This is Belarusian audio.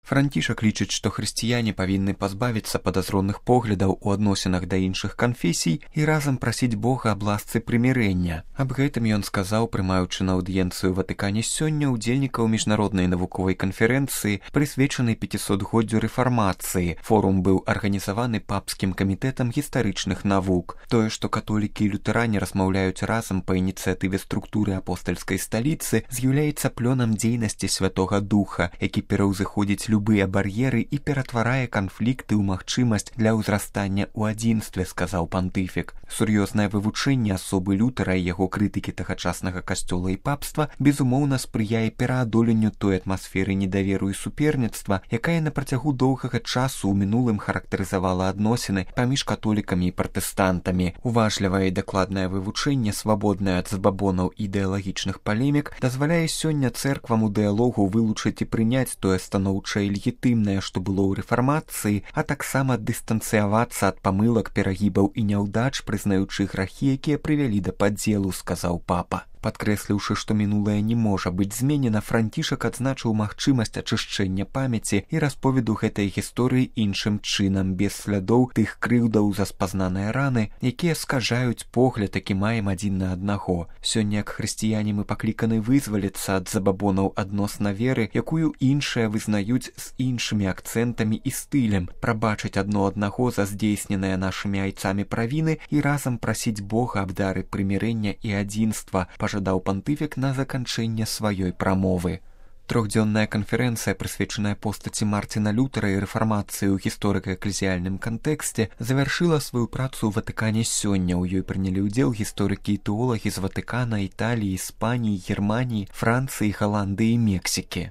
Францішак лічыць, што хрысціяне павінны пазбавіцца падазронных поглядаў у адносінах да іншых канфесій і разам прасіць Бога аб ласцы прымірэння. Аб гэтым ён сказаў, прымаючы на аўдыенцыю ў Ватыкане сёння ўдзельнікаў міжнароднай навуковай канферэнцыі, прысвечанай 500годдзю рэфармацыі. Форум быў арганізаваны папскім камітэтам гістарычных навук. Тое, што католікі і лютэране размаўляюць разам па ініцыятыве структуры апостальскай сталіцы, з'яўляецца плёнам дзейнасці Святога Духа, які пераўзыходзіць любыя бар'еры і ператварае канфлікты ў магчымасць для ўзрастання ў адзінстве, сказаў пантыфік. Сур'ёзнае вывучэнне асобы Лютера і яго крытыкі тагачаснага касцёла і папства безумоўна спрыяе пераадоленню той атмасферы недаверу і суперніцтва, якая на працягу доўгага часу ў мінулым характарызавала адносіны паміж католікамі і пратэстантамі. Уважлівае і дакладнае вывучэнне, свабоднае ад забабонаў ідэалагічных палемік, дазваляе сёння цэрквам у дыялогу вылучыць і прыняць тое станоўчае і легітымнае, што было ў рэфармацыі, а таксама дыстанцыявацца ад памылак, перагібаў і няўдач, прызнаючы грахі, якія прывялі да падзелу, сказаў папа. Падкрэсліўшы, што мінулае не можа быць зменена, Францішак адзначыў магчымасць ачышчэння памяці і расповеду гэтай гісторыі іншым чынам, без слядоў тых крыўдаў за спазнаныя раны, якія скажаюць погляд, які маем адзін на аднаго. Сёння, як хрысціяне, мы пакліканы вызваліцца ад забабонаў адносна веры, якую іншыя вызнаюць з іншымі акцэнтамі і стылем, прабачыць адно аднаго за здзейсненыя нашымі айцамі правіны і разам прасіць Бога аб дары прымірэння і адзінства, пажадаў пантыфік на заканчэнне сваёй прамовы. Трохдзённая канферэнцыя, прысвечаная постаці Марціна Лютера і рэфармацыі ў гісторыка-эклезіяльным кантэксце, завяршыла сваю працу ў Ватыкане сёння. У ёй прынялі ўдзел гісторыкі і тэолагі з Ватыкана, Італіі, Іспаніі, Германіі, Францыі, Галандыі і Мексікі.